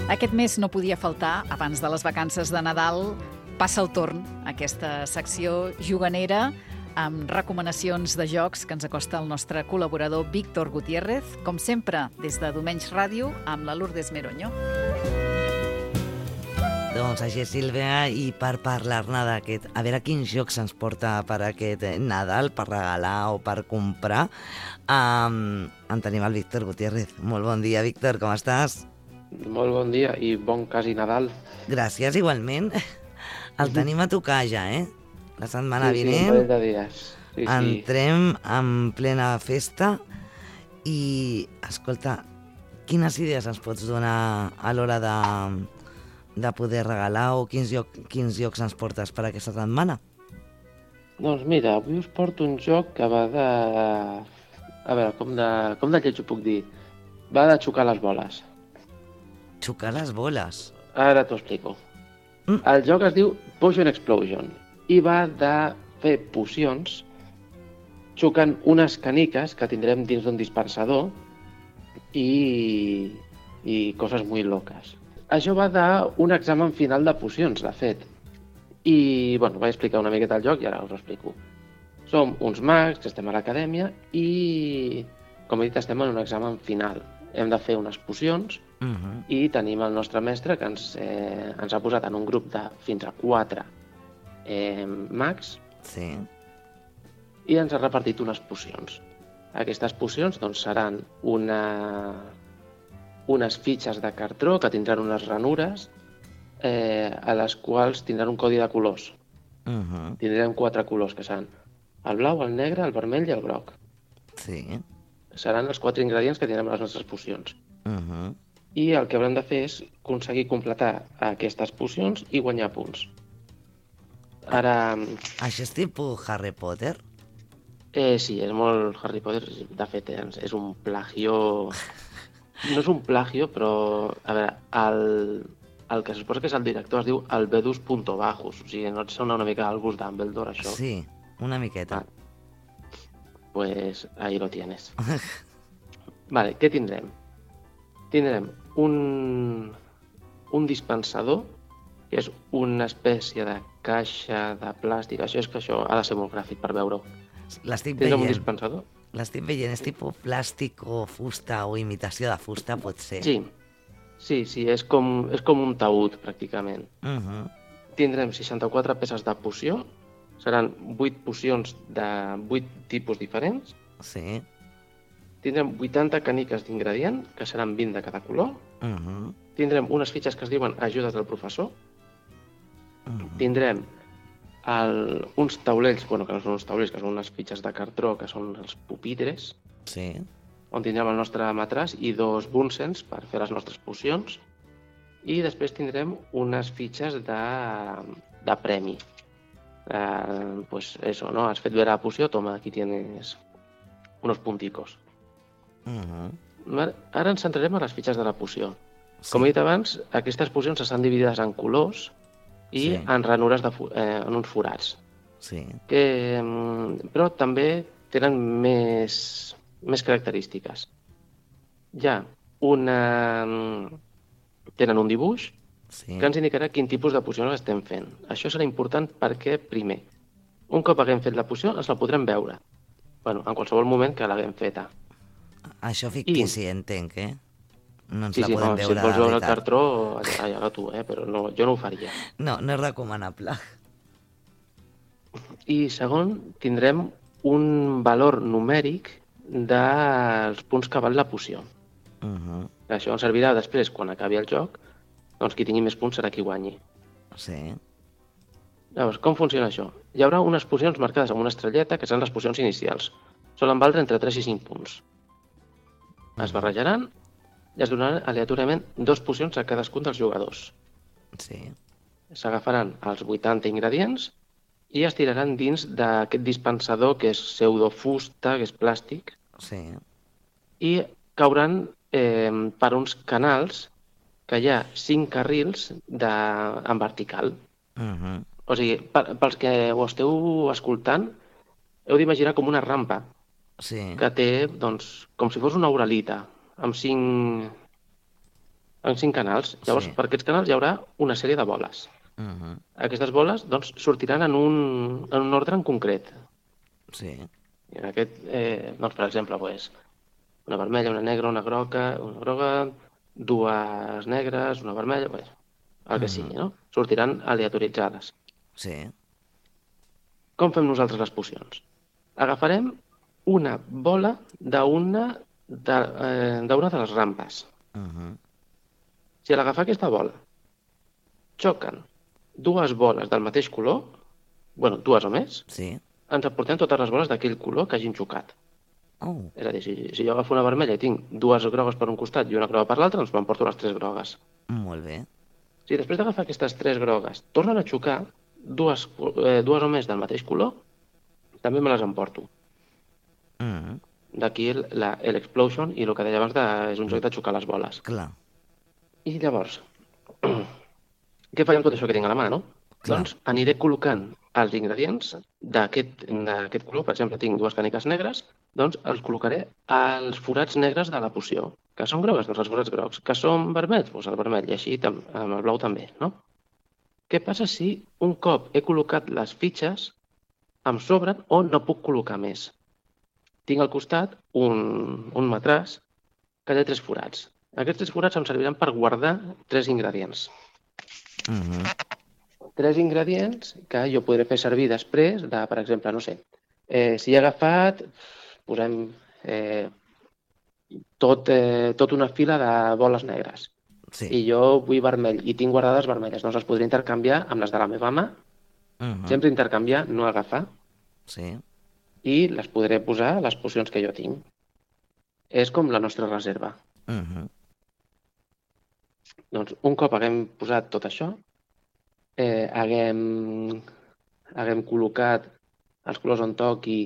Aquest mes no podia faltar, abans de les vacances de Nadal, passa el torn, aquesta secció juganera amb recomanacions de jocs que ens acosta el nostre col·laborador Víctor Gutiérrez, com sempre, des de Domenys Ràdio, amb la Lourdes Meroño. Doncs així és, Sílvia, i per parlar-ne d'aquest, a veure quins jocs ens porta per aquest Nadal, per regalar o per comprar, en tenim el Víctor Gutiérrez. Molt bon dia, Víctor, com estàs? Molt bon dia i bon quasi Nadal. Gràcies, igualment. El tenim a tocar ja, La setmana vinent. Sí, un parell de dies. Sí, entrem en plena festa i, escolta, quines idees ens pots donar a l'hora de poder regalar o quins jocs ens portes per aquesta setmana? Doncs mira, avui us porto un joc que va de... A veure, com de lleig ho puc dir? Va de xocar les boles. Xocar les boles? Ara t'ho explico. El joc es diu Potion Explosion i va de fer pocions xocant unes caniques que tindrem dins d'un dispensador i coses molt loques. Això va d'un examen final de pocions, de fet. I, bueno, vaig explicar una miqueta el joc i ara us ho explico. Som uns mags que estem a l'acadèmia i, com he dit, estem en un examen final. Hem de fer unes pocions i tenim el nostre mestre que ens ha posat en un grup de fins a 4 mags i ens ha repartit unes pocions. Aquestes pocions doncs, seran unes fitxes de cartró que tindran unes ranures a les quals tindran un codi de colors. Tindrem 4 colors, que seran el blau, el negre, el vermell i el groc. Seran els 4 ingredients que tindrem a les nostres pocions. I el que haurem de fer és aconseguir completar aquestes pocions i guanyar punts. Ara... Això és tipus Harry Potter? Sí, és molt Harry Potter. De fet, és un plagio... No és un plagio, però... A veure, el que se suposa que és el director es diu Albedus Puntovajus. O sigui, no et sona una mica al gust Dumbledore, això? Sí, una miqueta. Pues ahí lo tienes. Vale, què tindrem? Tindrem un dispensador, que és una espècie de caixa de plàstic. Això ha de ser molt gràfic per veure-ho. L'estic veient. Un dispensador? L'estic veient, és tipus plàstic o fusta o imitació de fusta, pot ser? Sí, és com un taüt, pràcticament. Tindrem 64 peces de poció, seran 8 pocions de 8 tipus diferents. Tindrem 80 caniques d'ingredient, que seran 20 de cada color. Tindrem unes fitxes que es diuen ajudes del professor. Tindrem uns taulells, que no són uns taulells, que són unes fitxes de cartró, que són els pupitres, on tindrem el nostre matràs i 2 bunsens per fer les nostres pocions. I després tindrem unes fitxes de premi. Pues eso, ¿no? Has fet bé la poció, toma, aquí tienes unos punticos. Ara ens centrarem a les fitxes de la poció. Com he dit abans, aquestes pocions estan dividides en colors i en ranures en uns forats. Però també tenen més característiques. Tenen un dibuix que ens indicarà quin tipus de poció estem fent. Això serà important perquè, primer, un cop haguem fet la poció, ens la podrem veure. En qualsevol moment que l'haguem feta. Això fictici, entenc, No ens la podem veure, si et vols veure el cartró, allà tu, però jo no ho faria. No és recomanable. I segon, tindrem un valor numèric dels punts que val la poció. Això ens servirà després, quan acabi el joc, doncs qui tingui més punts serà qui guanyi. Llavors, com funciona això? Hi haurà unes pocions marcades amb una estrelleta, que seran les pocions inicials. Solen valdre entre 3 i 5 punts. Es barrejaran i es donaran aleatòriament 2 pocions a cadascun dels jugadors. S'agafaran els 80 ingredients i es tiraran dins d'aquest dispensador que és pseudofusta, que és plàstic, i cauran per uns canals que hi ha 5 carrils en vertical. O sigui, pels que ho esteu escoltant, heu d'imaginar com una rampa que té, doncs, com si fos una uralita, amb 5 en 5 canals. Llavors, per aquests canals hi haurà una sèrie de boles. Aquestes boles doncs, sortiran en un ordre en concret. Sí. I en aquest, doncs, per exemple, una vermella, una negra, una groga, dues negres, una vermella, el que sigui, no? Sortiran aleatoritzades. Sí. Com fem nosaltres les pocions? Agafarem una bola d'una de les rampes. Si a l'agafar aquesta bola xoquen dues boles del mateix color, dues o més, Sí. ens emportem totes les boles d'aquell color que hagin xocat. Oh. És a dir, si jo agafo una vermella i tinc dues grogues per un costat i una groga per l'altre, doncs m'emporto les 3 grogues. Molt bé. Si després d'agafar aquestes 3 grogues tornen a xocar dues o més del mateix color, també me les emporto. D'aquí l'explosion i el que deia abans és un joc de xocar les boles. Clar. I llavors, què faig amb tot això que tinc a la mà, no? Clar. Doncs aniré col·locant els ingredients d'aquest color. Per exemple, tinc 2 càniques negres, doncs els col·locaré als forats negres de la poció. Que són grogues, doncs els forats grocs. Que són vermells, doncs el vermell, i així amb el blau també, no? Què passa si un cop he col·locat les fitxes em sobren o no puc col·locar més? Tinc al costat un matràs que té 3 forats. Aquests 3 forats em serviran per guardar 3 ingredients. 3 ingredients que jo podré fer servir després de, per exemple, no sé, si he agafat, posem tot una fila de boles negres. Sí. I jo vull vermell i tinc guardades vermelles, doncs les podré intercanviar amb les de la meva mà. Sempre intercanviar, no agafar. Sí. I les podré posar a les pocions que jo tinc. És com la nostra reserva. Doncs un cop haguem posat tot això, haguem col·locat els colors on toqui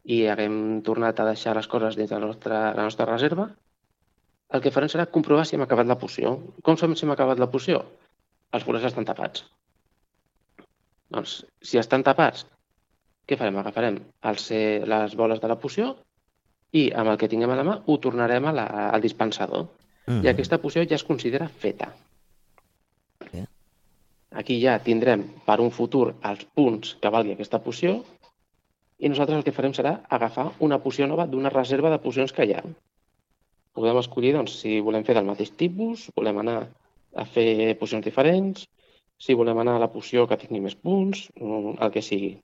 i haguem tornat a deixar les coses dins de la nostra reserva, el que farem serà comprovar si hem acabat la poció. Com sabem si hem acabat la poció? Els forats estan tapats. Doncs, si estan tapats, què farem? Agafarem les boles de la poció i amb el que tinguem a la mà ho tornarem al dispensador. I aquesta poció ja es considera feta. Aquí ja tindrem per un futur els punts que valgui aquesta poció i nosaltres el que farem serà agafar una poció nova d'una reserva de pocions que hi ha. Podem escollir doncs, si volem fer del mateix tipus, volem anar a fer pocions diferents, si volem anar a la poció que tingui més punts, el que sigui.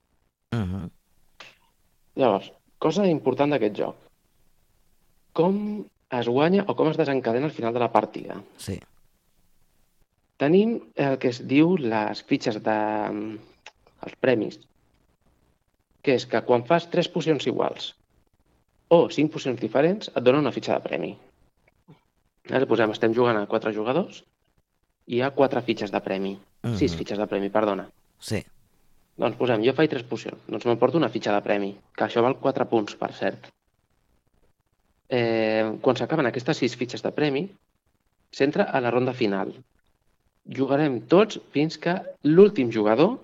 Llavors, cosa important d'aquest joc. Com es guanya o com es desencadena al final de la partida? Sí. Tenim el que es diu les fitxes els premis, que és que quan fas 3 pocions iguals o 5 pocions diferents et dona una fitxa de premi. Posem, estem jugant a 4 jugadors i hi ha 4 fitxes de premi. 6 fitxes de premi, perdona. Sí. Doncs posem, jo faig 3 pocions, doncs m'emporto una fitxa de premi, que això val 4 punts, per cert. Quan s'acaben aquestes 6 fitxes de premi, s'entra a la ronda final. Jugarem tots fins que l'últim jugador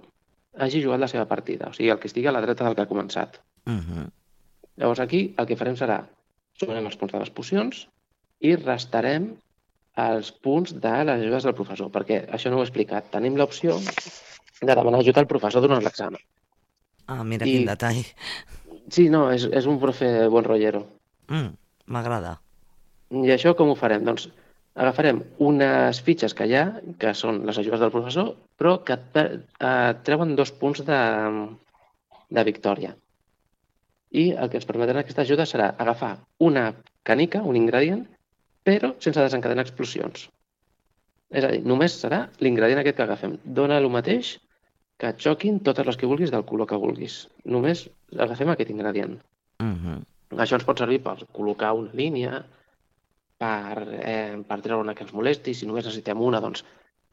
hagi jugat la seva partida, o sigui, el que estigui a la dreta del que ha començat. Llavors aquí el que farem serà sumarem els punts de les pocions i restarem els punts de les ajudes del professor, perquè això no ho he explicat. Tenim l'opció de demanar ajuda al professor durant l'examen. Ah, mira quin detall. Sí, no, és un profe bon rollero. M'agrada. I això com ho farem? Doncs agafarem unes fitxes que hi ha, que són les ajudes del professor, però que et treuen 2 punts de victòria. I el que ens permetrà aquesta ajuda serà agafar una canica, un ingredient, però sense desencadenar explosions. És a dir, només serà l'ingredient aquest que agafem. Dóna el mateix que et xoquin totes les que vulguis del color que vulguis. Només agafem aquest ingredient. Això ens pot servir per col·locar una línia, per treure una que ens molesti. Si només necessitem una, doncs,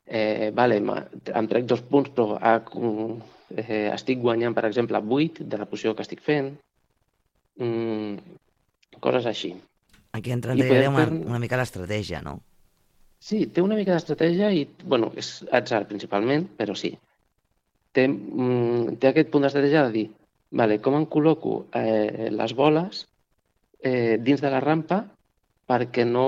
em trec 2 punts, però estic guanyant, per exemple, 8 de la poció que estic fent. Coses així. Aquí entra una mica l'estratègia, no? Sí, té una mica d'estratègia i, bueno, és atzar principalment, però sí. Té aquest punt d'estratègia de dir, com em col·loco les boles dins de la rampa perquè no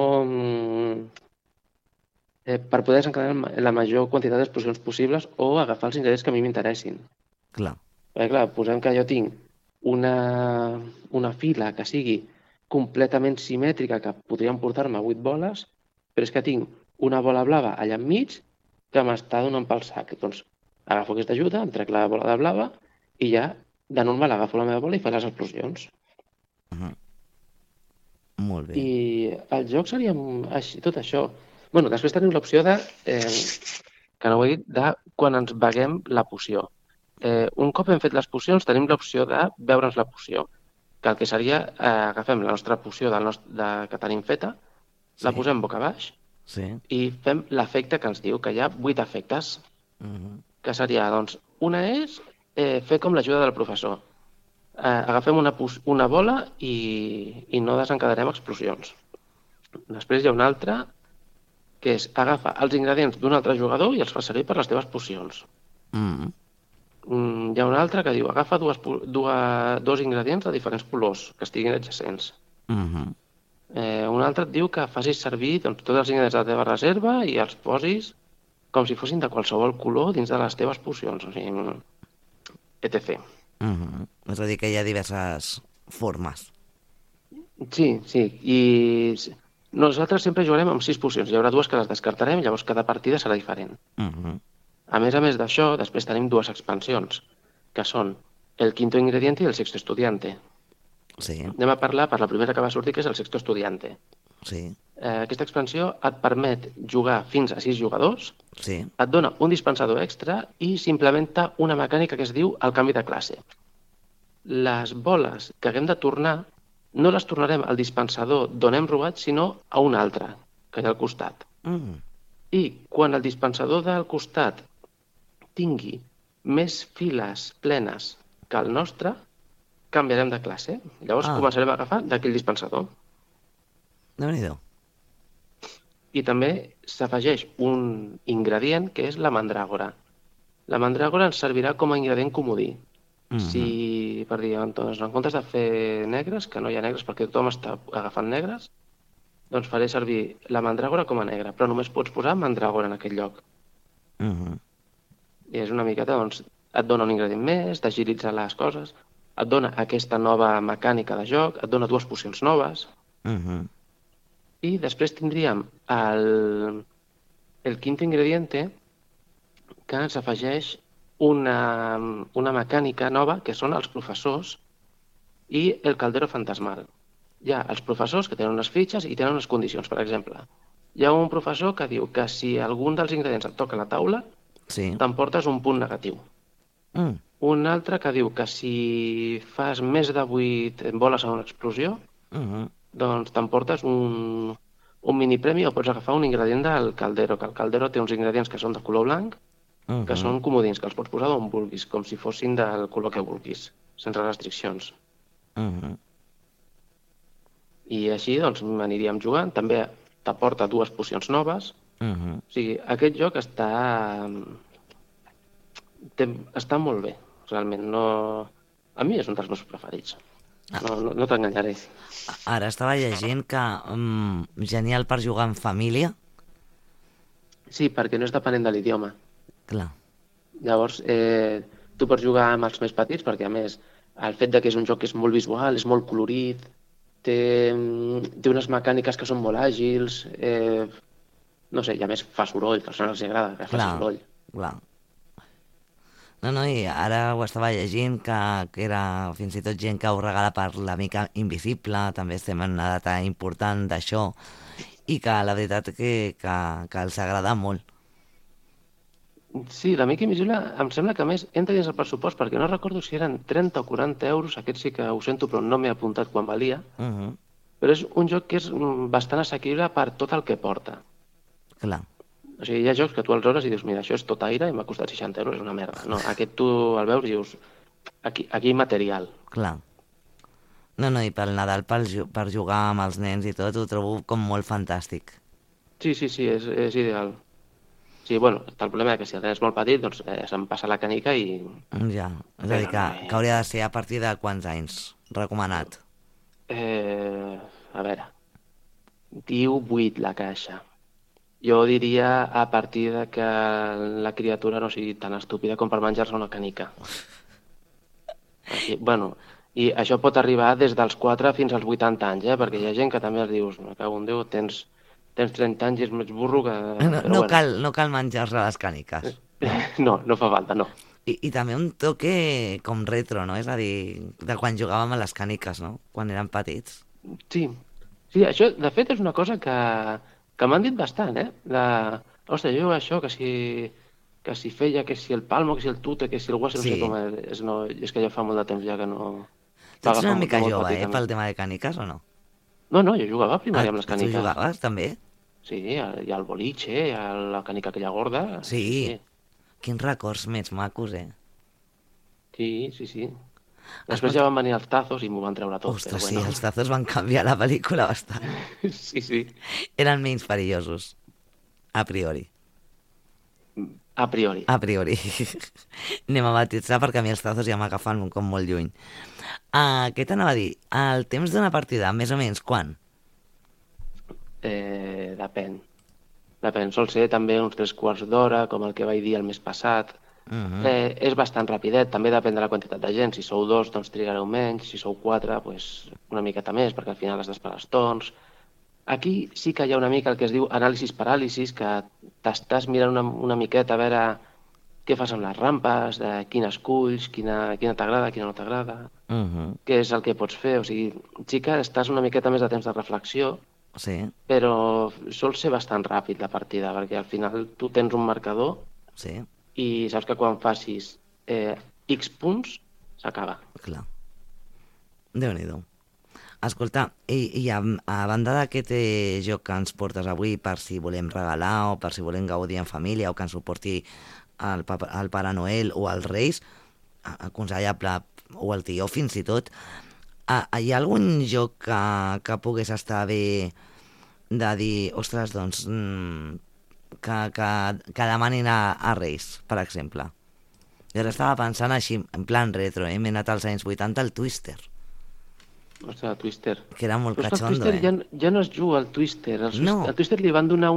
per poder desencadenar la major quantitat d'explosions possibles o agafar els ingredients que a mi m'interessin. Clar. Perquè, clar, posem que jo tinc una fila que sigui completament simètrica, que podrien portar-me 8 boles, però és que tinc una bola blava allà enmig que m'està donant pel sac. Doncs agafo aquesta ajuda, em trec la bola de blava i ja de normal agafo la meva bola i faig les explosions. Molt bé. I el joc seria així, tot això. Bueno, després tenim l'opció de, que no ho he dit, de quan ens beguem la poció. Un cop hem fet les pocions, tenim l'opció de beure'ns la poció, que el que seria, agafem la nostra poció que tenim feta, la posem boca baix i fem l'efecte que ens diu, que hi ha 8 efectes, que seria, doncs, una és fer com l'ajuda del professor. Agafem una bola i no desencadenarem explosions. Després hi ha una altra, que és agafa els ingredients d'un altre jugador i els fa servir per les teves pocions. Hi ha una altra que diu agafa dos ingredients de diferents colors que estiguin adjacents. Un altre et diu que facis servir tots els ingredients de la teva reserva i els posis com si fossin de qualsevol color dins de les teves pocions, o sigui, etc. És a dir, que hi ha diverses formes. Sí, i nosaltres sempre jugarem amb 6 pocions. Hi haurà 2 que les descartarem, llavors cada partida serà diferent. A més d'això, després tenim 2 expansions, que són el quinto ingrediente i el sexto estudiante. Anem a parlar per la primera que va sortir, que és el sexto estudiante. Aquesta expansió et permet jugar fins a 6 jugadors, et dona un dispensador extra i s'implementa una mecànica que es diu el canvi de classe. Les boles que haguem de tornar no les tornarem al dispensador d'on hem robat, sinó a un altre, que hi ha al costat. I quan el dispensador del costat tingui més files plenes que el nostre, canviarem de classe. Llavors començarem a agafar d'aquell dispensador. Déu-n'hi-do. I també s'afegeix un ingredient que és la mandràgora. La mandràgora ens servirà com a ingredient comodí. Si, per dir, doncs, en comptes de fer negres, que no hi ha negres perquè tothom està agafant negres, doncs faré servir la mandràgora com a negra, però només pots posar mandràgora en aquell lloc. I és una miqueta, doncs, et dona un ingredient més, t'agilitza les coses, et dona aquesta nova mecànica de joc, et dona 2 pocions noves. I després tindríem el quinto ingrediente, que ens afegeix una mecànica nova, que són els professors i el caldero fantasmal. Hi ha els professors que tenen unes fitxes i tenen unes condicions. Per exemple, hi ha un professor que diu que si algun dels ingredients et toca a la taula, t'emportes un punt negatiu. Un altre que diu que si fas més de 8 boles a una explosió, doncs t'emportes un minipremi o pots agafar un ingredient del caldero, que el caldero té uns ingredients que són de color blanc, que són comodins, que els pots posar d'on vulguis, com si fossin del color que vulguis, sense restriccions. I així, doncs, aniríem jugant. També t'aporta 2 pocions noves. O sigui, aquest joc està molt bé, realment. A mi és un dels meus preferits. No t'enganyaré. Ara estava llegint que genial per jugar en família. Sí, perquè no és depenent de l'idioma. Clar. Llavors, tu pots jugar amb els més petits, perquè a més, el fet que és un joc que és molt visual, és molt colorit, té unes mecàniques que són molt àgils, no sé, i a més fa soroll, que als nens els agrada que faci soroll. Clar. No, i ara ho estava llegint, que era fins i tot gent que ho regala per l'amica invisible, també estem en una data important d'això, i que la veritat que els agrada molt. Sí, l'amic invisible em sembla que a més entra dins el pressupost, perquè no recordo si eren 30 o 40 euros, aquest sí que ho sento però no m'he apuntat quan valia, però és un joc que és bastant assequible per tot el que porta. Clar. O sigui, hi ha jocs que tu els veus i dius, mira, això és tot aire i m'ha costat 60 euros, és una merda. No, aquest tu el veus i dius, aquí hi ha material. Clar. No, i pel Nadal, per jugar amb els nens i tot, ho trobo com molt fantàstic. Sí, és ideal. Sí, bueno, el problema és que si el nen és molt petit, doncs se'm passa la canica i... Ja, és a dir, que hauria de ser a partir de quants anys recomanat? A veure, diu 8 la caixa. Jo diria a partir de que la criatura no sigui tan estúpida com per menjar-se una canica. Bueno, i això pot arribar des dels 4 fins als 80 anys, perquè hi ha gent que també els dius, me cago en Déu, tens 30 anys i és més burro que... No cal menjar-se les càniques. No fa falta, no. I també un toque com retro, no? És a dir, de quan jugàvem a les càniques, no? Quan érem petits. Sí, això de fet és una cosa que m'han dit bastant, Ostres, jo això, que si feia, que si el palmo, que si el tute, que si el guasse, no sé com és, no, és que ja fa molt de temps ja que no... Tu ets una mica jove, pel tema de càniques, o no? No, jo jugava a primària amb les càniques. Tu jugaves, també? Sí, hi ha el boliche, hi ha la cànica aquella gorda... Sí. Quins records més macos, Sí. Després ja van venir els tazos i m'ho van treure tot. Ostres, sí, els tazos van canviar la pel·lícula bastant. Sí. Eren menys perillosos, a priori. A priori. Anem a batitzar perquè a mi els tazos ja m'agafen com molt lluny. Què t'anava a dir? El temps d'una partida, més o menys, quan? Depèn. Sol ser també uns 3 quarts d'hora, com el que vaig dir el mes passat. És bastant rapidet, també depèn de la quantitat de gent. Si sou 2, doncs trigareu menys. Si sou 4, doncs una miqueta més, perquè al final has d'esperar els torns. Aquí sí que hi ha una mica el que es diu anàlisis-paràlisis, que t'estàs mirant una miqueta a veure què fas amb les rampes, quina esculls, quina t'agrada, quina no t'agrada, què és el que pots fer. O sigui, sí que estàs una miqueta més de temps de reflexió, sí, però sol ser bastant ràpid la partida, perquè al final tu tens un marcador i saps que quan facis X punts s'acaba. Clar. Déu-n'hi-do. Escolta, i a banda d'aquest joc que ens portes avui per si volem regalar o per si volem gaudir en família o que ens ho porti el Pare Noel o els Reis, aconsellable, o el tió fins i tot, hi ha algun joc que pogués estar bé de dir, ostres, doncs, que demanin a Reis, per exemple? Jo ara estava pensant així, en plan retro, m'he anat als anys 80 al Twister. Ostres, el Twister. Que era molt catxondo, el Twister ja no es juga al Twister. Al Twister li van donar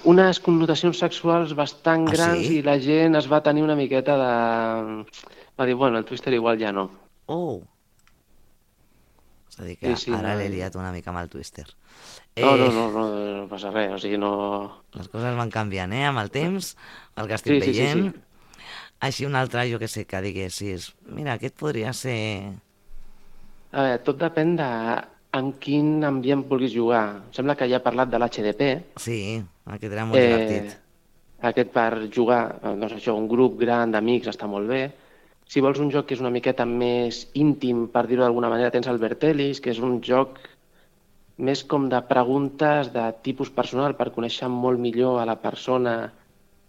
unes connotacions sexuals bastant grans i la gent es va tenir una miqueta de... Va dir, bueno, el Twister igual ja no. És a dir, que ara l'he liat una mica amb el Twister. No passa res, o sigui, no... Les coses van canviant, amb el temps, el que estic veient. Així un altre, jo que sé, que diguessis, mira, aquest podria ser... A veure, tot depèn de en quin ambient vulguis jugar. Em sembla que ja he parlat de l'HDP. Sí, aquest era molt divertit. Aquest per jugar, doncs això, un grup gran d'amics està molt bé. Si vols un joc que és una miqueta més íntim, per dir-ho d'alguna manera, tens el Vertelis, que és un joc més com de preguntes de tipus personal per conèixer molt millor a la persona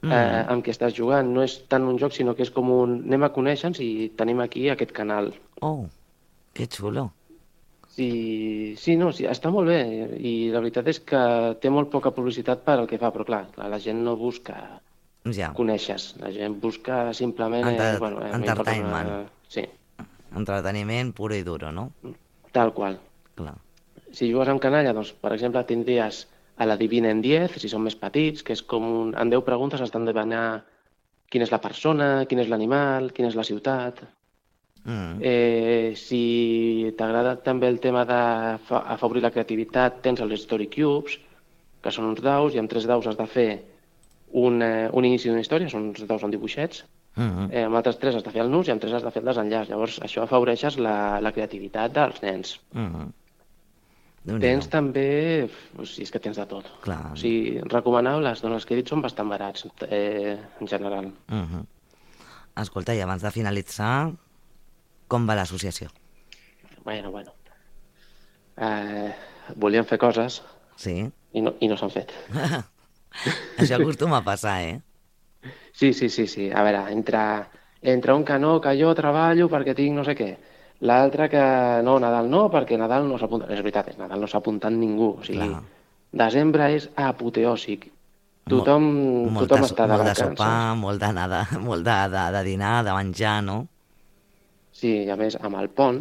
amb qui estàs jugant. No és tant un joc, sinó que és com un... Anem a conèixer-nos i tenim aquí aquest canal. Que xulo. Sí, està molt bé. I la veritat és que té molt poca publicitat per al que fa, però clar, la gent no busca... coneixes. La gent busca simplement... Entertainment. Sí. Entreteniment puro i duro, no? Tal qual. Clar. Si jugues amb canalla, doncs, per exemple, tindries a la Divina en 10, si són més petits, que és com en 10 preguntes has d'endevinar quina és la persona, quin és l'animal, quina és la ciutat. Si t'agrada també el tema d'afavorir la creativitat, tens els Story Cubes, que són uns daus, i amb 3 daus has de fer un inici d'una història, són uns daus amb dibuixets, amb altres 3 has de fer el nus i amb 3 has de fer el desenllaç. Llavors, això afavoreixes la creativitat dels nens. Tens també... Si és que tens de tot. Clar. O sigui, recomanables, doncs els que he dit són bastant barats, en general. Escolta, i abans de finalitzar, com va l'associació? Bueno. Volíem fer coses i no s'han fet. Això acostuma a passar, Sí. A veure, entre un que no, que jo treballo perquè tinc no sé què, l'altre que no, Nadal no, perquè Nadal no s'apunta. És veritat, Nadal no s'ha apuntat ningú. O sigui, desembre és apoteòsic. Tothom està de vacances. Molt de sopar, molt de dinar, de menjar, no? Sí, i a més, amb el pont,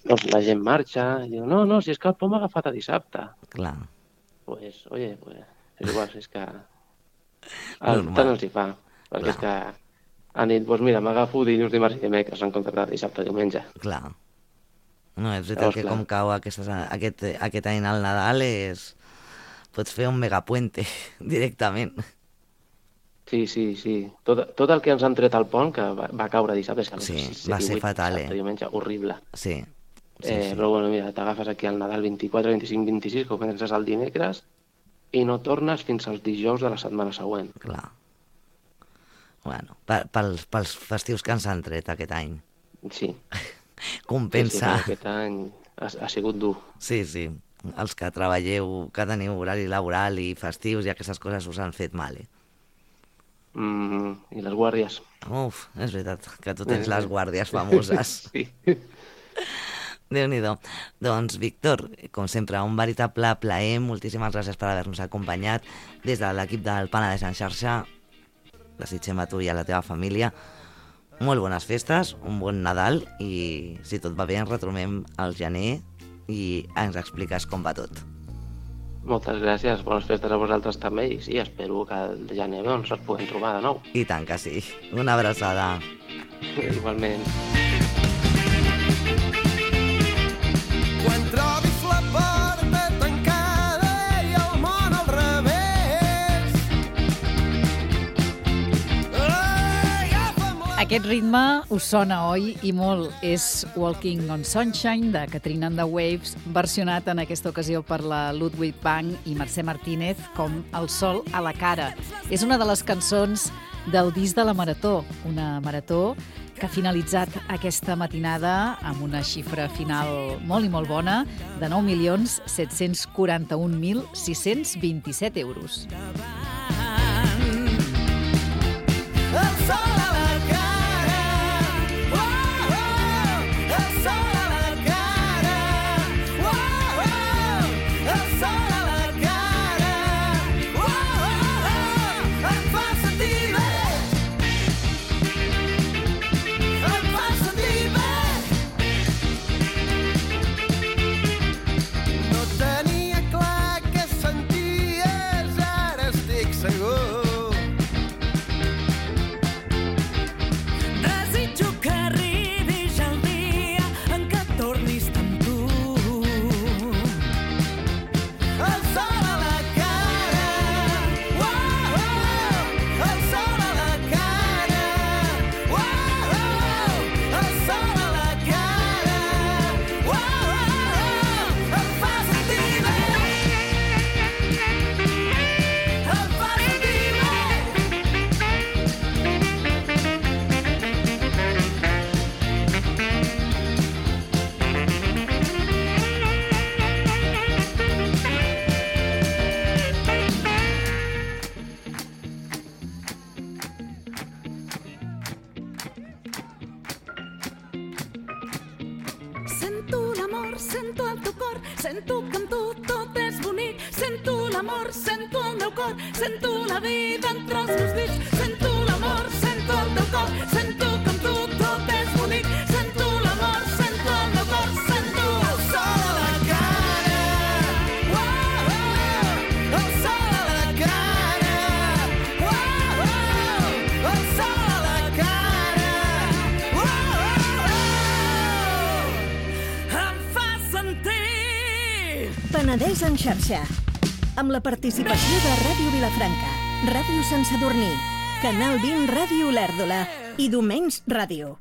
doncs la gent marxa i diu, no, si és que el pont m'ha agafat a dissabte. Clar. Pues, oye, És igual, és que... Tant els hi fa. Perquè és que han dit, doncs mira, m'agafo dilluns, dimarts i dimecres en comptes de dissabte i diumenge. Clar. No, és veritat que com cau aquest any al Nadal pots fer un megapuente directament. Sí. Tot el que ens han tret al pont, que va caure dissabte, sí, va ser fatal, diumenge, horrible. Sí. Però bueno, mira, t'agafes aquí al Nadal 24, 25, 26, que comences el dimecres, i no tornes fins als dijous de la setmana següent. Clar. Bueno, pels festius que ens han tret aquest any. Sí. Compensa. Sí, aquest any ha sigut dur. Sí. Els que treballeu, que teniu horari laboral i festius i aquestes coses us han fet mal, I les guàrdies. Uf, és veritat, que tu tens les guàrdies famoses. Sí. Déu-n'hi-do. Doncs, Víctor, com sempre, un veritable plaer. Moltíssimes gràcies per haver-nos acompanyat. Des de l'equip del Penedès en xarxa, desitgem a tu i a la teva família molt bones festes, un bon Nadal i, si tot va bé, ens retrobem al gener i ens expliques com va tot. Moltes gràcies, bones festes a vosaltres també i sí, espero que el gener ens puguem trobar de nou. I tant que sí. Una abraçada. Igualment. Quan trobis la porta tancada i el món al revés, Aquest ritme us sona, oi? I molt. És Walking on Sunshine, de Katrina and the Waves, versionat en aquesta ocasió per la Ludwig Band i Mercè Martínez com El sol a la cara. És una de les cançons del disc de la Marató, una marató que ha finalitzat aquesta matinada amb una xifra final molt i molt bona de 9.741.627 euros. el sol a la cara, el sol a la cara, el sol a la cara, em fa sentir bé, em fa sentir bé. No tenia clar què senties, ara estic segur. Desitjo que arribi ja el dia en què tornis amb tu. El sol a la cara, el sol a la cara, el sol a la cara, em fa sentir bé, em fa sentir bé. Sento l'amor, sento el teu cor, sento que amb tu tot és bonic. Sento l'amor, sento el meu cor, sento la vida entre els meus dits. Sento l'amor, sento el teu cor, sento que amb tu tot és bonic. Sento l'amor, sento el meu cor, sento El sol a la cara, el sol a la cara, el sol a la cara, em fa sentir. Penedès en xarxa, amb la participació de Ràdio Vilafranca, Ràdio Sant Sadurní, Canal 20 Ràdio Olèrdola i Domenys Ràdio.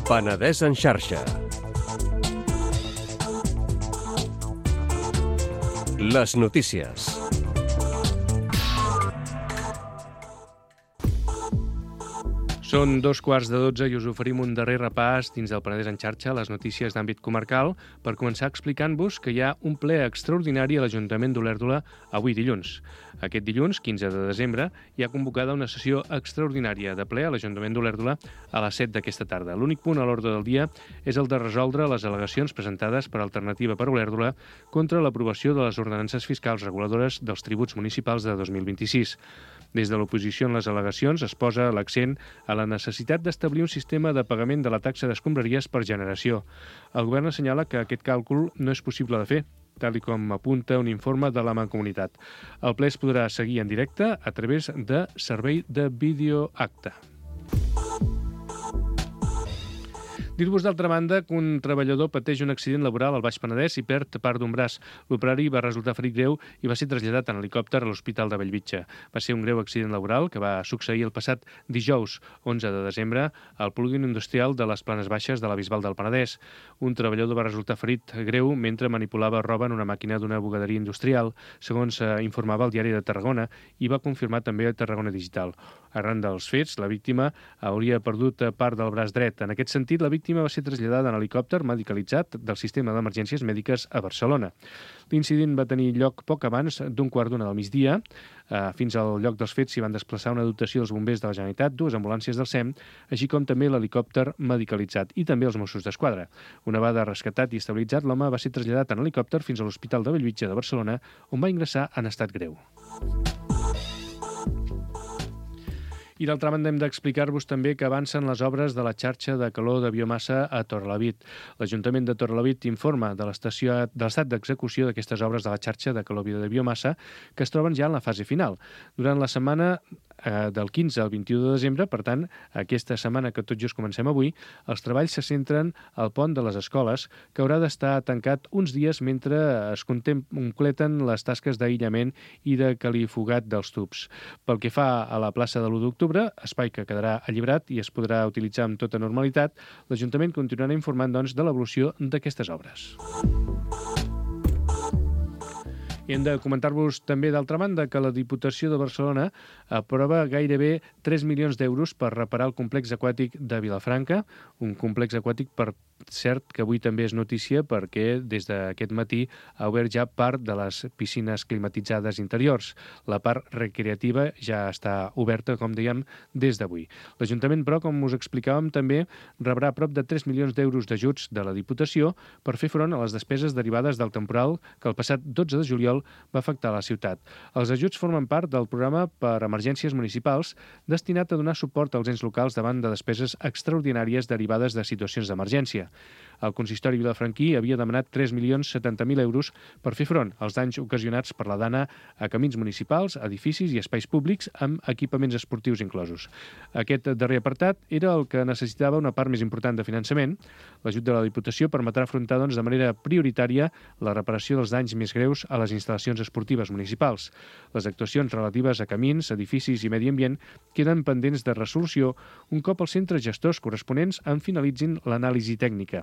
Penedès en xarxa. Les notícies. Són 2:15 i us oferim un darrer repàs dins del Penedès en xarxa, les notícies d'àmbit comarcal, per començar explicant-vos que hi ha un ple extraordinari a l'Ajuntament d'Olèrdola avui dilluns. Aquest dilluns, 15 de desembre, hi ha convocada una sessió extraordinària de ple a l'Ajuntament d'Olèrdola a les 7 d'aquesta tarda. L'únic punt a l'ordre del dia és el de resoldre les al·legacions presentades per Alternativa per Olèrdola contra l'aprovació de les ordenances fiscals reguladores dels tributs municipals de 2026. Des de l'oposició en les al·legacions es posa l'accent a la necessitat d'establir un sistema de pagament de la taxa d'escombraries per generació. El govern assenyala que aquest càlcul no és possible de fer, tal com apunta un informe de la Mancomunitat. El ple es podrà seguir en directe a través de servei de videoacte. Dir-vos, d'altra banda, que un treballador pateix un accident laboral al Baix Penedès i perd part d'un braç. L'operari va resultar ferit greu i va ser traslladat en helicòpter a l'Hospital de Bellvitge. Va ser un greu accident laboral que va succeir el passat dijous, 11 de desembre, al polígon industrial de les Planes Baixes de la Bisbal del Penedès. Un treballador va resultar ferit greu mentre manipulava roba en una màquina d'una bugaderia industrial, segons informava el Diari de Tarragona i va confirmar també a Tarragona Digital. Arran dels fets, la víctima hauria perdut part del braç dret. En aquest sentit, la víctima va ser traslladada en helicòpter medicalitzat del sistema d'emergències mèdiques a Barcelona. L'incident va tenir lloc poc abans d'1:15 del migdia. Fins al lloc dels fets s'hi van desplaçar una dotació dels bombers de la Generalitat, 2 ambulàncies del SEM, així com també l'helicòpter medicalitzat i també els Mossos d'Esquadra. Una vegada rescatat i estabilitzat, l'home va ser traslladat en helicòpter fins a l'Hospital de Bellvitge de Barcelona, on va ingressar en estat greu. I d'altra banda hem d'explicar-vos també que avancen les obres de la xarxa de calor de biomassa a Torrelavit. L'Ajuntament de Torrelavit informa de l'estat d'execució d'aquestes obres de la xarxa de calor de biomassa que es troben ja en la fase final. Durant la setmana del 15 al 21 de desembre, per tant, aquesta setmana que tot just comencem avui, els treballs se centren al pont de les escoles, que haurà d'estar tancat uns dies mentre es completen les tasques d'aïllament i de califugat dels tubs. Pel que fa a la plaça de l'1 d'octubre, espai que quedarà alliberat i es podrà utilitzar amb tota normalitat, l'Ajuntament continuarà informant, doncs, de l'evolució d'aquestes obres. I hem de comentar-vos també, d'altra banda, que la Diputació de Barcelona aprova gairebé 3 milions d'euros per reparar el complex aquàtic de Vilafranca, un complex aquàtic, per cert, que avui també és notícia perquè des d'aquest matí ha obert ja part de les piscines climatitzades interiors. La part recreativa ja està oberta, com dèiem, des d'avui. L'Ajuntament, però, com us explicàvem, també rebrà prop de 3 milions d'euros d'ajuts de la Diputació per fer front a les despeses derivades del temporal que el passat 12 de juliol va afectar la ciutat. Els ajuts formen part del programa per emergències municipals destinat a donar suport als ens locals davant de despeses extraordinàries derivades de situacions d'emergència. El consistori vilafranquí havia demanat 3.070.000 euros per fer front als danys ocasionats per la dana a camins municipals, edificis i espais públics amb equipaments esportius inclosos. Aquest darrer apartat era el que necessitava una part més important de finançament. L'ajut de la Diputació permetrà afrontar, doncs, de manera prioritària la reparació dels danys més greus a les instal·lacions esportives municipals. Les actuacions relatives a camins, edificis i medi ambient queden pendents de resolució un cop els centres gestors corresponents en finalitzin l'anàlisi tècnica.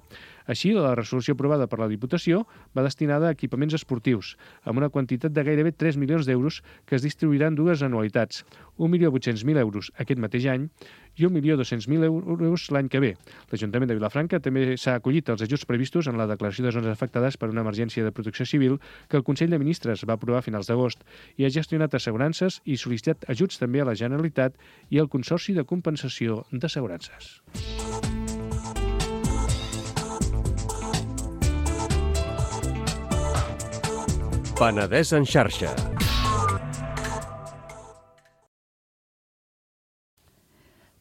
Així, la resolució aprovada per la Diputació va destinada a equipaments esportius, amb una quantitat de gairebé 3 milions d'euros que es distribuiran dues anualitats, 1.800.000 euros aquest mateix any i 1.200.000 euros l'any que ve. L'Ajuntament de Vilafranca també s'ha acollit als ajuts previstos en la declaració de zones afectades per una emergència de protecció civil que el Consell de Ministres va aprovar a finals d'agost i ha gestionat assegurances i sol·licitat ajuts també a la Generalitat i al Consorci de Compensació d'Assegurances. Penedès en xarxa.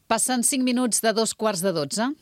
Passen 5 minuts de 2:15.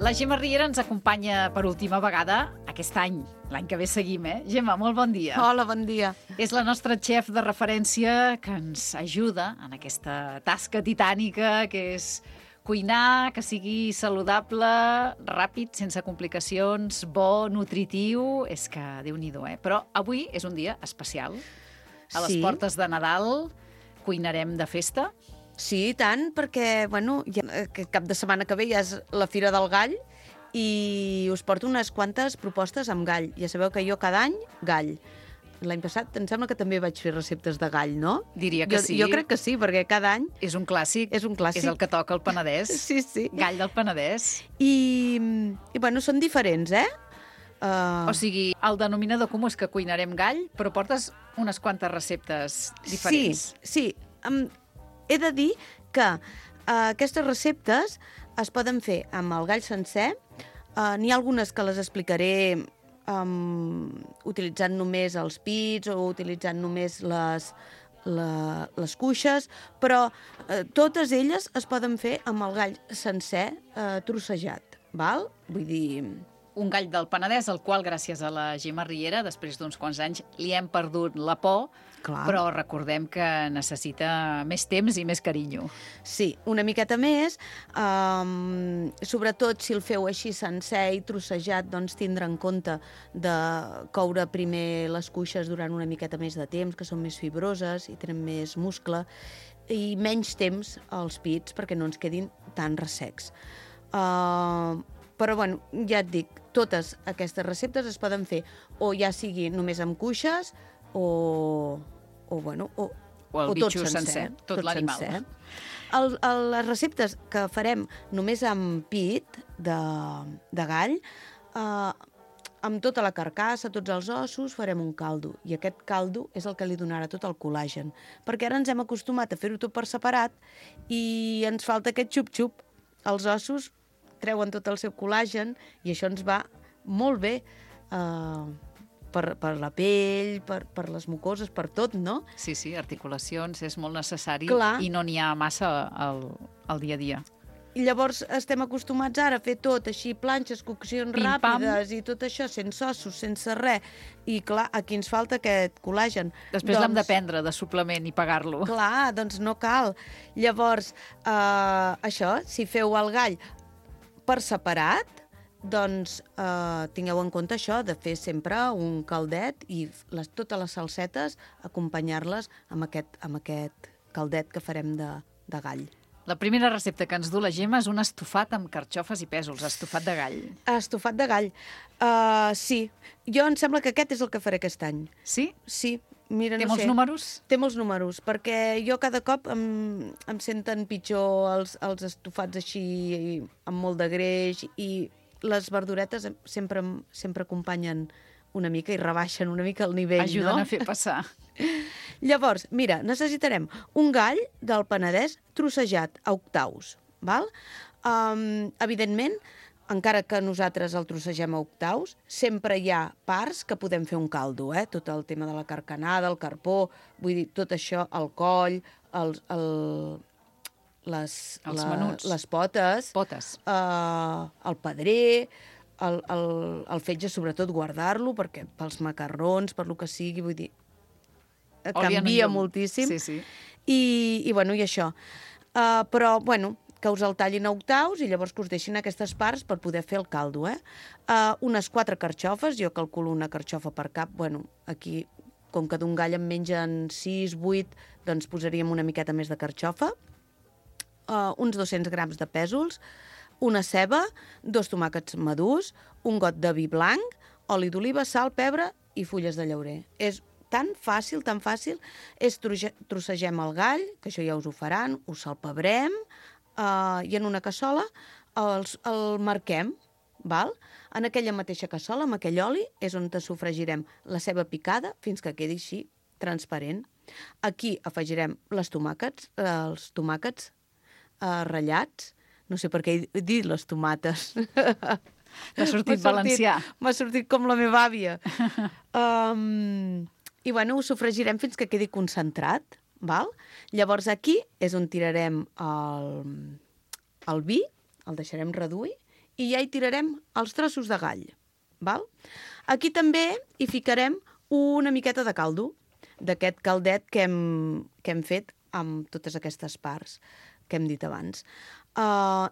La Gemma Riera ens acompanya per última vegada aquest any. L'any que ve seguim, eh? Gemma, molt bon dia. Hola, bon dia. És la nostra xef de referència que ens ajuda en aquesta tasca titànica que és cuinar, que sigui saludable, ràpid, sense complicacions, bo, nutritiu. És que Déu-n'hi-do, eh? Però avui és un dia especial. A les portes de Nadal cuinarem de festa. Sí, i tant, perquè, bueno, ja, cap de setmana que ve ja és la Fira del Gall i us porto unes quantes propostes amb gall. Ja sabeu que jo cada any, gall. L'any passat em sembla que també vaig fer receptes de gall, no? Diria que sí. Jo crec que sí, perquè cada any... És un clàssic. És un clàssic. És el que toca al Penedès. Sí, sí. Gall del Penedès. I bueno, són diferents, eh? O sigui, el denominador comú és que cuinarem gall, però portes unes quantes receptes diferents. Sí. He de dir que aquestes receptes es poden fer amb el gall sencer. N'hi ha algunes que les explicaré utilitzant només els pits o utilitzant només les cuixes, però totes elles es poden fer amb el gall sencer trossejat, val? Vull dir... Un gall del Penedès, al qual, gràcies a la Gemma Riera, després d'uns quants anys, li hem perdut la por, Clar. però recordem que necessita més temps i més carinyo. Sí, una miqueta més. Sobretot si el feu així sencer i trossejat, doncs tindre en compte de coure primer les cuixes durant una miqueta més de temps, que són més fibroses i tenen més muscle, i menys temps als pits perquè no ens quedin tan ressecs. Però, bueno, ja et dic, totes aquestes receptes es poden fer o ja sigui només amb cuixes o el bitxo sencer, tot l'animal. sencer. Les receptes que farem només amb pit de gall, amb tota la carcassa, tots els ossos, farem un caldo. I aquest caldo és el que li donarà tot el col·làgen. Perquè ara ens hem acostumat a fer-ho tot per separat i ens falta aquest xup-xup. Els ossos treuen tot el seu col·làgen i això ens va molt bé per la pell, per les mucoses, per tot, no? Sí, articulacions, és molt necessari. Clar. I no n'hi ha massa al dia a dia. I llavors estem acostumats ara a fer tot així, planxes, coccions ràpides i tot això, sense ossos, sense res. I clar, aquí ens falta aquest col·làgen. Després l'hem de prendre de suplement i pagar-lo. Clar, doncs no cal. Llavors, això, si feu el gall per separat, doncs tingueu en compte això, de fer sempre un caldet i totes les salsetes acompanyar-les amb aquest caldet que farem de gall. La primera recepta que ens du la Gemma és un estofat amb carxofes i pèsols, estofat de gall. Estofat de gall, sí. Jo em sembla que aquest és el que faré aquest any. Sí? Sí. Mira, Té molts números? Té molts números, perquè jo cada cop em senten pitjor els estofats així amb molt de greix i les verduretes sempre acompanyen una mica i rebaixen una mica el nivell, Ajuden no? a fer passar. Llavors, mira, necessitarem un gall del Penedès trossejat a octaus, val? Evidentment, encara que nosaltres el trossegem a octaus, sempre hi ha parts que podem fer un caldo, tot el tema de la carcanada, el carpó, vull dir, tot això, el coll, les potes, el pedrer, el fetge, sobretot, guardar-lo, perquè pels macarrons, per lo que sigui, vull dir, canvia moltíssim. Sí. I això. Però, bueno, que us el tallin a octaus i llavors que us deixin aquestes parts per poder fer el caldo, unes 4 carxofes, jo calculo una carxofa per cap, bueno, aquí, com que d'un gall en mengen 6, 8, doncs posaríem una miqueta més de carxofa, uns 200 grams de pèsols, una ceba, 2 tomàquets madurs, un got de vi blanc, oli d'oliva, sal, pebre i fulles de llaurer. És tan fàcil, trossegem el gall, que això ja us ho faran, ho salpebrem, i en una cassola el marquem, val? En aquella mateixa cassola, amb aquell oli, és on sofregirem la ceba picada fins que quedi així transparent. Aquí afegirem els tomàquets ratllats. No sé per què he dit les tomates. T'ha sortit valencià. M'ha sortit com la meva àvia. I bueno, ho sofregirem fins que quedi concentrat. Val? Llavors aquí és on tirarem el vi, el deixarem reduir, i ja hi tirarem els trossos de gall. Val? Aquí també hi ficarem una miqueta de caldo, d'aquest caldet que hem fet amb totes aquestes parts que hem dit abans.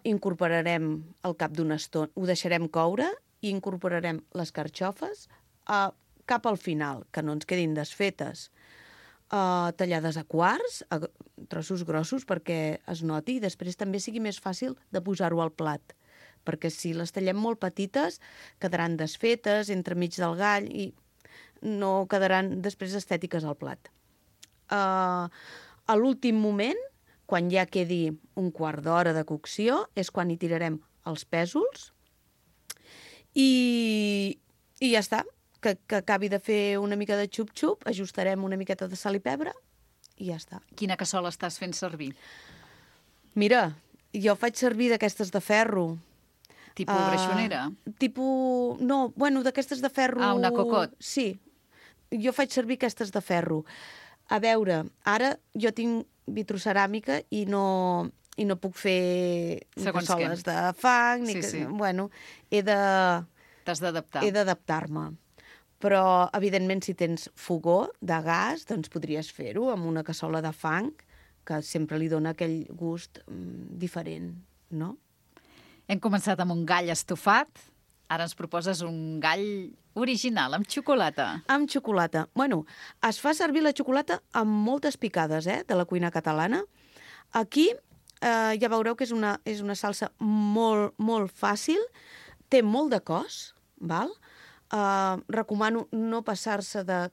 Incorporarem al cap d'una estona, ho deixarem coure i incorporarem les carxofes cap al final, que no ens quedin desfetes. Tallades a quarts, a trossos grossos perquè es noti i després també sigui més fàcil de posar-ho al plat. Perquè si les tallem molt petites quedaran desfetes entremig del gall i no quedaran després estètiques al plat. A l'últim moment, quan ja quedi un quart d'hora de cocció, és quan hi tirarem els pèsols i ja està. Que acabi de fer una mica de xup-xup, ajustarem una miqueta de sal i pebre i ja està. Quina cassola estàs fent servir? Mira, jo faig servir d'aquestes de ferro. Tipus greixonera? No, bueno, d'aquestes de ferro... Ah, una cocot. Sí, jo faig servir aquestes de ferro. A veure, ara jo tinc vitroceràmica i no puc fer cassoles de fang, bueno, t'has d'adaptar. He d'adaptar-me. Però, evidentment, si tens fogó de gas, doncs podries fer-ho amb una cassola de fang, que sempre li dona aquell gust diferent, no? Hem començat amb un gall estofat, ara ens proposes un gall original, amb xocolata. Amb xocolata. Bueno, es fa servir la xocolata amb moltes picades, de la cuina catalana. Aquí ja veureu que és una salsa molt, molt fàcil, té molt de cos, val? Recomano no passar-se de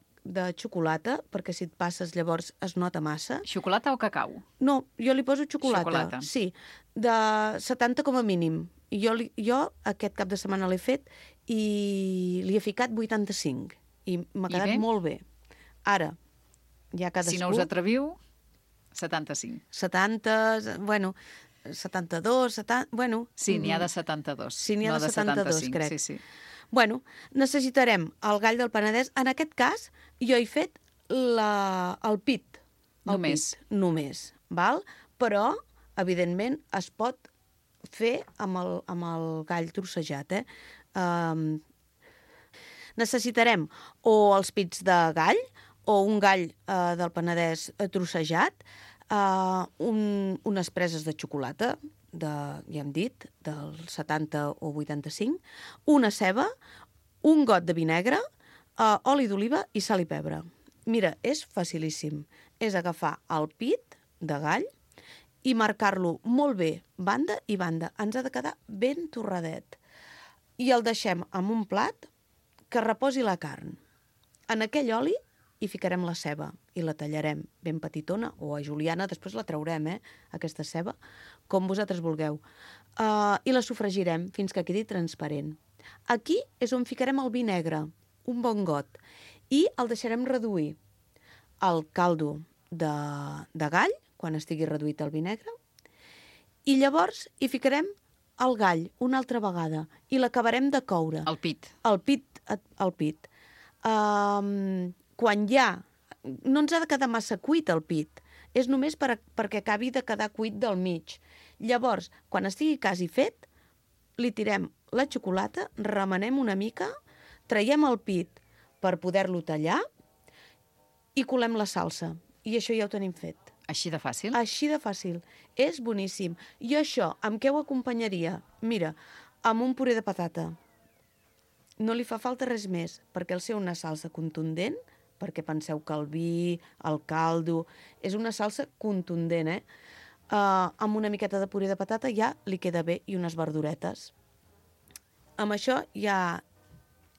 xocolata, perquè si et passes llavors es nota massa. Xocolata o cacau? No, jo li poso xocolata. Xocolata. Sí, de 70 com a mínim. Jo aquest cap de setmana l'he fet i li he ficat 85 i m'ha quedat molt bé. Ara, ja cadascú... Si no us atreviu, 75. 70, bueno, 72, 70... Bueno, sí, n'hi ha de 72. Sí, n'hi ha de 72, crec. Sí. Bueno, necessitarem el gall del Penedès. En aquest cas, jo he fet el pit. Només, val? Però, evidentment, es pot fer amb el gall trossejat, Necessitarem o els pits de gall, o un gall del Penedès trossejat, unes preses de xocolata, ja hem dit, del 70 o 85, una ceba, un got de vinagre, oli d'oliva i sal i pebre. Mira, és facilíssim. És agafar el pit de gall i marcar-lo molt bé, banda i banda. Ens ha de quedar ben torradet. I el deixem en un plat que reposi la carn. En aquell oli hi ficarem la ceba i la tallarem ben petitona, o a juliana, després la traurem, aquesta ceba, com vosaltres vulgueu. I la sofregirem fins que quedi transparent. Aquí és on ficarem el vi negre, un bon got, i el deixarem reduir al caldo de gall, quan estigui reduït el vi negre, i llavors hi ficarem el gall una altra vegada i l'acabarem de coure. El pit. El pit. Quan ja... No ens ha de quedar massa cuit el pit, és només perquè acabi de quedar cuit del mig. Llavors, quan estigui quasi fet, li tirem la xocolata, remenem una mica, traiem el pit per poder-lo tallar i colem la salsa. I això ja ho tenim fet. Així de fàcil? Així de fàcil. És boníssim. I això, amb què ho acompanyaria? Mira, amb un puré de patata. No li fa falta res més, perquè al ser una salsa contundent, perquè penseu que el vi, el caldo... És una salsa contundent, amb una miqueta de puré de patata ja li queda bé i unes verduretes. Amb això ja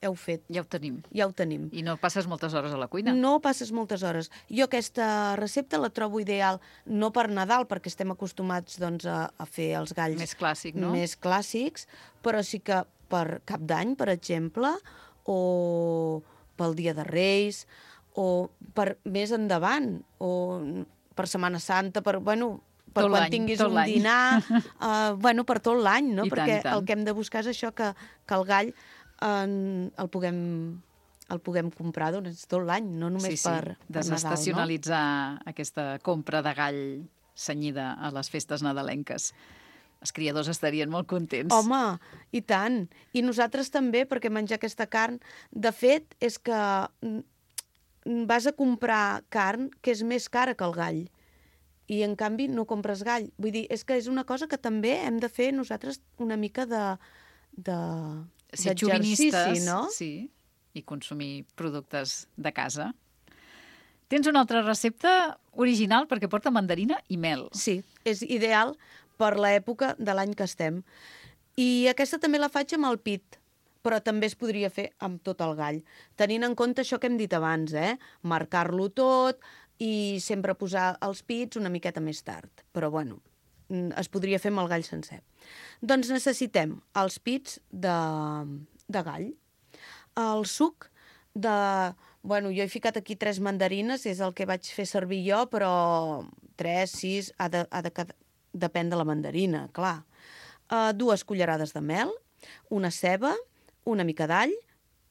heu fet. Ja ho tenim. Ja ho tenim. I no passes moltes hores a la cuina? No passes moltes hores. Jo aquesta recepta la trobo ideal, no per Nadal, perquè estem acostumats doncs, a fer els galls... Més clàssic, no? Més clàssics, però sí que per Cap d'Any, per exemple, o pel Dia de Reis, o per més endavant, o per Setmana Santa, per quan tinguis un dinar, per tot l'any, no? Perquè el que hem de buscar és això, que el gall el puguem comprar tot l'any, no només per Nadal. Desestacionalitzar aquesta compra de gall cenyida a les festes nadalenques. Els criadors estarien molt contents. Home, i tant. I nosaltres també, perquè menjar aquesta carn, de fet, és que vas a comprar carn que és més cara que el gall. I, en canvi, no compres gall. Vull dir, és que és una cosa que també hem de fer nosaltres una mica d'exercici, no? Sí, i consumir productes de casa. Tens una altra recepta original perquè porta mandarina i mel. Sí, és ideal per l'època de l'any que estem. I aquesta també la faig amb el pit, però també es podria fer amb tot el gall. Tenint en compte això que hem dit abans, marcar-lo tot i sempre posar els pits una miqueta més tard. Però, es podria fer amb el gall sencer. Doncs necessitem els pits de gall, el suc de... jo he ficat aquí 3 mandarines, és el que vaig fer servir jo, però 3, 6, ha de depèn de la mandarina, clar. 2 cullerades de mel, una ceba, una mica d'all,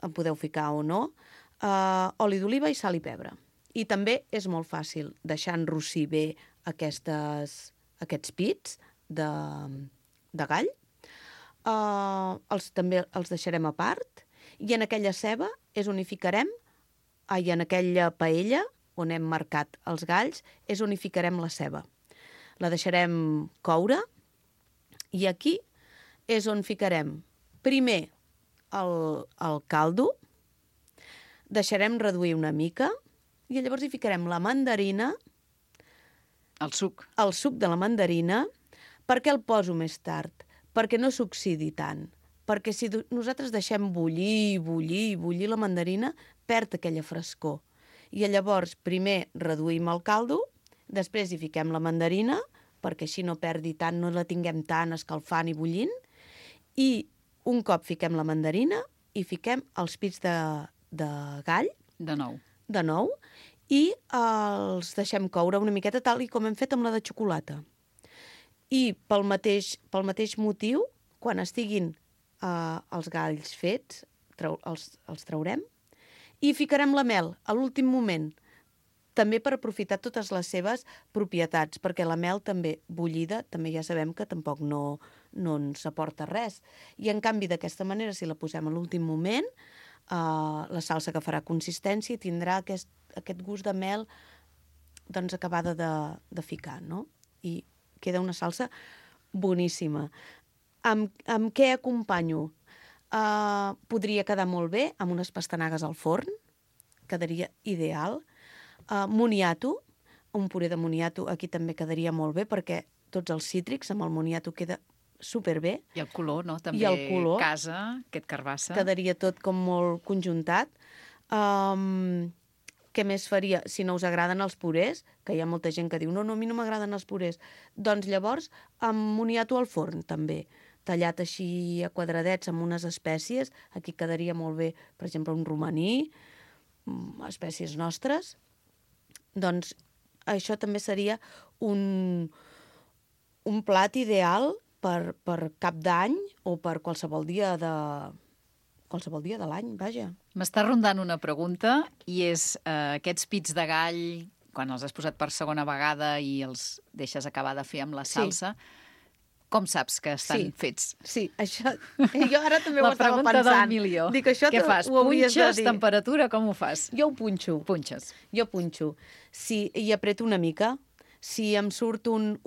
en podeu ficar o no, oli d'oliva i sal i pebre. I també és molt fàcil deixar enrossir bé aquests pits de gall. També els deixarem a part i en aquella ceba és on hi ficarem, en aquella paella on hem marcat els galls, és on hi ficarem la ceba. La deixarem coure i aquí és on ficarem primer el caldo, deixarem reduir una mica i llavors hi ficarem la mandarina, El suc. el suc de la mandarina. Per què el poso més tard? Perquè no s'oxidi tant. Perquè si nosaltres deixem bullir la mandarina, perd aquella frescor. I llavors primer reduïm el caldo, després hi fiquem la mandarina, perquè així no perdi tant, no la tinguem tant escalfant i bullint, i un cop fiquem la mandarina i fiquem els pits de gall, De nou. i els deixem coure una miqueta tal i com hem fet amb la de xocolata. I pel mateix motiu, quan estiguin els galls fets, els traurem i ficarem la mel a l'últim moment, també per aprofitar totes les seves propietats, perquè la mel també bullida, també ja sabem que tampoc no ens aporta res. I en canvi, d'aquesta manera, si la posem a l'últim moment, la salsa agafarà consistència i tindrà aquest gust de mel doncs, acabada de ficar, no? I queda una salsa boníssima. Amb què acompanyo? Podria quedar molt bé amb unes pastanagues al forn, quedaria ideal. Moniato, un puré de moniato aquí també quedaria molt bé perquè tots els cítrics amb el moniato queda superbé. I el color, no? També I el color. casa, aquest carbassa. Quedaria tot com molt conjuntat. Què més faria? Si no us agraden els purés, que hi ha molta gent que diu no, a mi no m'agraden els purés, doncs llavors amb moniato al forn també, tallat així a quadradets amb unes espècies, aquí quedaria molt bé, per exemple, un romaní, espècies nostres. Doncs això també seria un plat ideal per cap d'any o per qualsevol dia de l'any, vaja. M'està rondant una pregunta i és aquests pits de gall, quan els has posat per segona vegada i els deixes acabar de fer amb la salsa, com saps que estan fets? Sí, això... Jo ara també ho estava pensant. La pregunta del milió. Dic, això què fas? Punxes, temperatura, com ho fas? Jo ho punxo. Punxes. Jo punxo. Si hi apreto una mica, si em surt un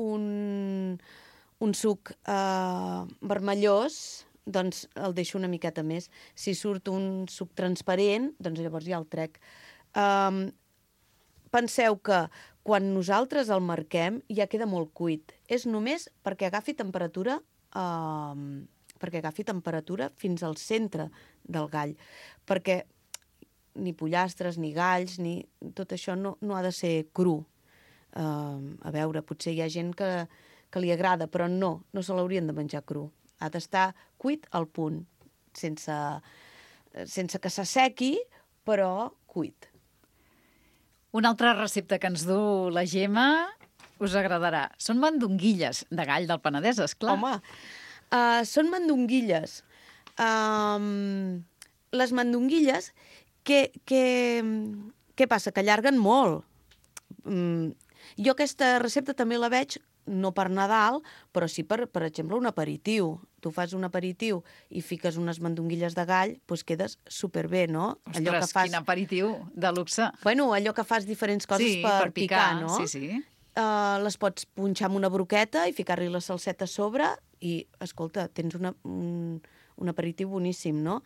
suc vermellós, doncs el deixo una miqueta més. Si surt un suc transparent, doncs llavors ja el trec. Penseu que quan nosaltres el marquem ja queda molt cuit. És només perquè agafi temperatura fins al centre del gall. Perquè ni pollastres, ni galls, ni tot això no ha de ser cru. A veure, potser hi ha gent que li agrada, però no se l'haurien de menjar cru. Ha d'estar cuit al punt, sense que s'assequi, però cuit. Una altra recepta que ens du la Gemma us agradarà. Són mandonguilles de gall del Penedès, esclar. Home, són mandonguilles. Les mandonguilles, què passa? Que allarguen molt. Jo aquesta recepta també la veig no per Nadal, però sí per exemple, un aperitiu. Tu fas un aperitiu i fiques unes mandonguilles de gall, doncs quedes superbé, no? Ostres, quin aperitiu de luxe. Bueno, allò que fas diferents coses per picar, no? Sí. Les pots punxar amb una broqueta i ficar-li la salseta a sobre i, escolta, tens un aperitiu boníssim, no?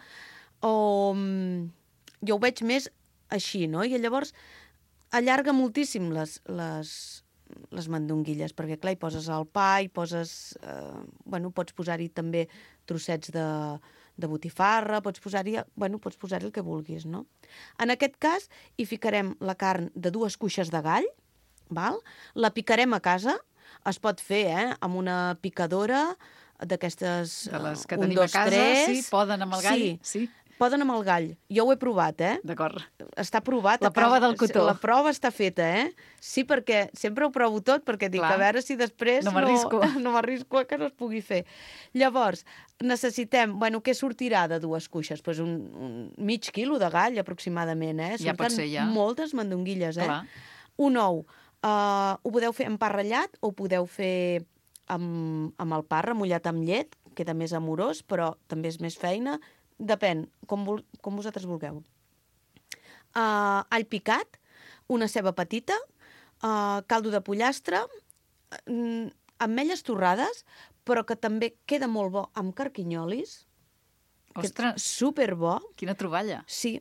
Jo ho veig més així, no? I llavors allarga moltíssim les mandonguilles, perquè clar, hi poses el pa, hi poses... pots posar-hi també trossets de botifarra, pots posar-hi el que vulguis, no? En aquest cas, hi ficarem la carn de 2 cuixes de gall, val? La picarem a casa, es pot fer amb una picadora d'aquestes... De les que tenim a casa, sí, poden amb el gall, sí. poden amb el gall. Jo ho he provat, D'acord. Està provat. La prova del cotó. La prova està feta, Sí, perquè sempre ho provo tot, perquè dic, Clar. a veure si després No m'arrisco. no m'arrisco a que no es pugui fer. Llavors, necessitem, què sortirà de 2 cuixes? Pues un mig quilo de gall, aproximadament, Ja pot ser, ja. moltes mandonguilles, Clar. Un ou. Ho podeu fer amb pa ratllat o ho podeu fer amb el pa remullat amb llet, queda més amorós, però també és més feina. Depèn, com vosaltres vulgueu. All picat, una ceba petita, caldo de pollastre, ametlles torrades, però que també queda molt bo amb carquinyolis. Ostres, Superbo. quina troballa. Sí.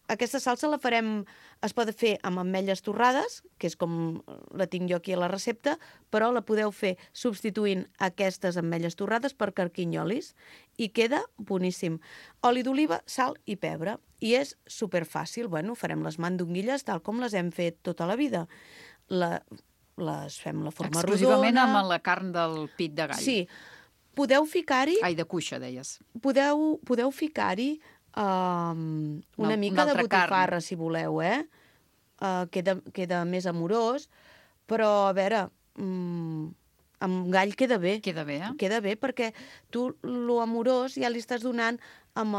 Aquesta salsa la farem, es pot fer amb ametlles torrades, que és com la tinc jo aquí a la recepta, però la podeu fer substituint aquestes ametlles torrades per carquinyolis i queda boníssim. Oli d'oliva, sal i pebre. I és superfàcil. Farem les mandonguilles tal com les hem fet tota la vida. Les fem la forma Exclusivament rodona. amb la carn del pit de gall. Sí. Podeu ficar-hi... Ai, de cuixa, deies. Podeu ficar-hi una mica de botifarra, si voleu, queda més amorós, però, a veure, amb gall queda bé. Queda bé, Queda bé, perquè tu lo amorós ja li estàs donant amb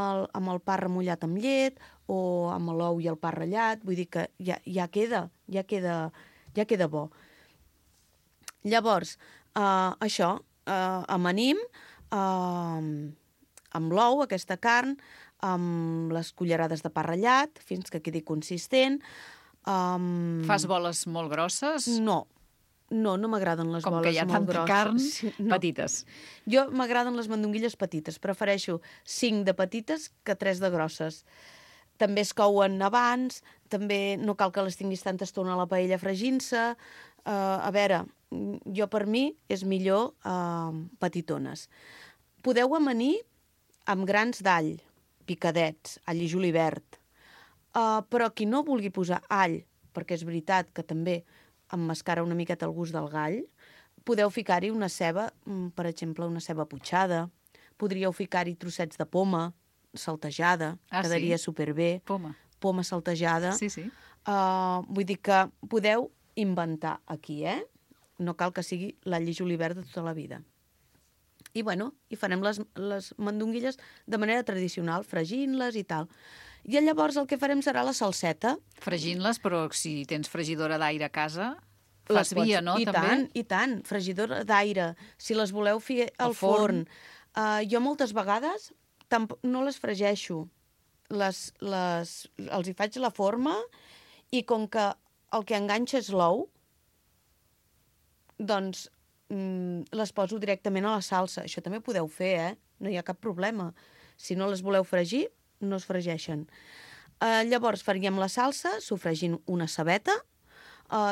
el pa remullat amb llet o amb l'ou i el pa ratllat, vull dir que ja queda bo. Llavors, això, amanim amb l'ou, aquesta carn, amb les cullerades de pa ratllat, fins que quedi consistent. Fas boles molt grosses? No m'agraden les Com boles que hi ha molt tanta grosses. carn, Sí, petites. Jo m'agraden les mandonguilles petites. Prefereixo 5 de petites que 3 de grosses. També es couen abans, també no cal que les tinguis tanta estona a la paella fregint-se. A veure, per mi és millor petitones. Podeu amanir amb grans d'all, picadets, all i julivert. Però qui no vulgui posar all, perquè és veritat que també emmascara una miqueta el gust del gall, podeu ficar-hi una ceba, per exemple, una ceba putxada. Podríeu ficar-hi trossets de poma saltejada, quedaria superbé. Poma saltejada. Sí. Vull dir que podeu inventar aquí, No cal que sigui l'all i julivert de tota la vida. I farem les mandonguilles de manera tradicional, fregint-les i tal. I llavors el que farem serà la salseta. Fregint-les, però si tens fregidora d'aire a casa, fas via, no? I tant, fregidora d'aire. Si les voleu fer al forn. Jo moltes vegades no les fregeixo. Els hi faig la forma i com que el que enganxa és l'ou, doncs les poso directament a la salsa. Això també ho podeu fer, No hi ha cap problema. Si no les voleu fregir, no es fregeixen. Llavors faríem la salsa sofregint una cebeta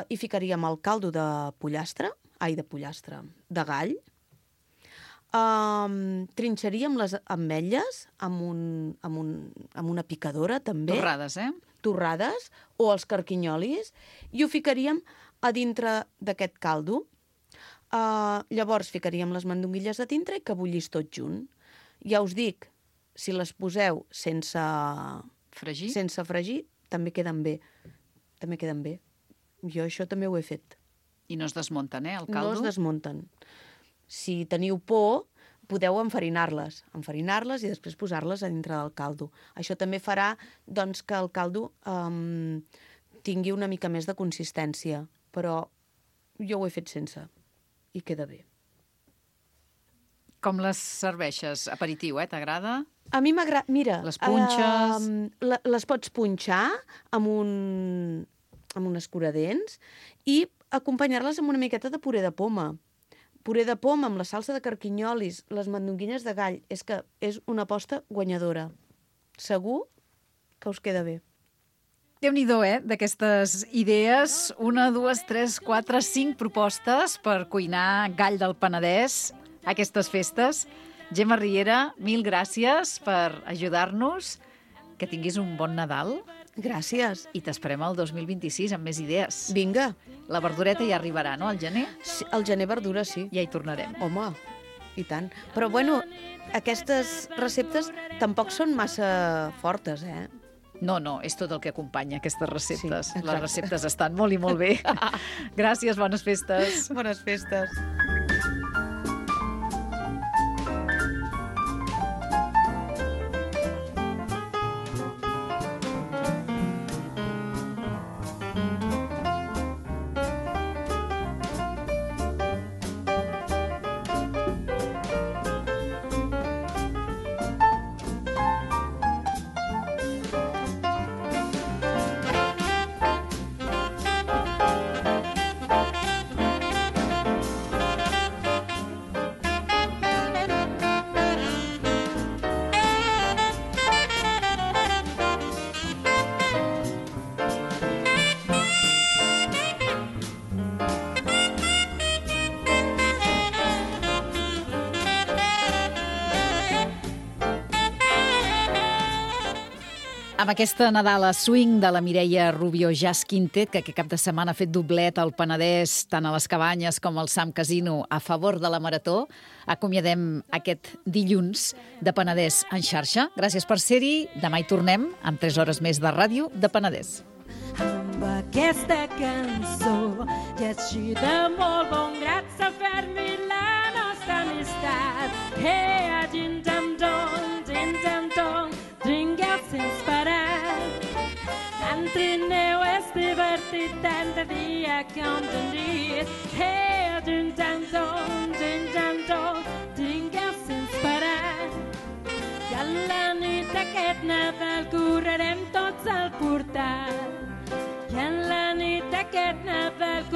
i ficaríem el caldo de gall. Trinxaríem les ametlles amb una picadora, també. Torrades, Torrades, o els carquinyolis, i ho ficaríem a dintre d'aquest caldo. Llavors ficaríem les mandonguilles a dintre i que bullís tot junt. Ja us dic, si les poseu sense fregir, també queden bé. Jo això també ho he fet. I no es desmunten, el caldo? No es desmunten. Si teniu por, podeu enfarinar-les i després posar-les a dintre del caldo. Això també farà doncs, que el caldo tingui una mica més de consistència, però jo ho he fet sense i queda bé. Com les serveixes? Aperitiu, t'agrada? A mi m'agrada... Mira... Les punxes... Les pots punxar amb un escuradents i acompanyar-les amb una miqueta de puré de poma. Puré de poma amb la salsa de carquinyolis, les mandonguilles de gall. És que és una aposta guanyadora. Segur que us queda bé. Déu-n'hi-do, d'aquestes idees. 1, 2, 3, 4, 5 propostes per cuinar gall del Penedès a aquestes festes. Gemma Riera, mil gràcies per ajudar-nos. Que tinguis un bon Nadal. Gràcies. I t'esperem el 2026 amb més idees. Vinga. La verdureta ja arribarà, no?, al gener? Sí, al gener verdura, sí. Ja hi tornarem. Home. I tant. Però, bueno, aquestes receptes tampoc són massa fortes, eh? No, és tot el que acompanya aquestes receptes. Sí, les receptes estan molt i molt bé. Gràcies, bones festes. Bones festes. Amb aquesta Nadala Swing de la Mireia Rubio Jazz Quintet, que aquest cap de setmana ha fet doblet al Penedès, tant a les Cabanyes com al Sam Casino, a favor de la Marató, acomiadem aquest dilluns de Penedès en xarxa. Gràcies per ser-hi. Demà hi tornem amb 3 hores més de ràdio de Penedès. Amb aquesta cançó ja et així de molt bon grat s'ha fer-me la nostra amistat. Hey, a gin-jam-dong, dringueu sense parar. Entreneu, és divertit tant de dia com de nit. Hey, a gin-jam-dong, dringueu sense parar. I a la nit d'aquest Nadal correrem tots al portal. I en la nit d'aquest Nadal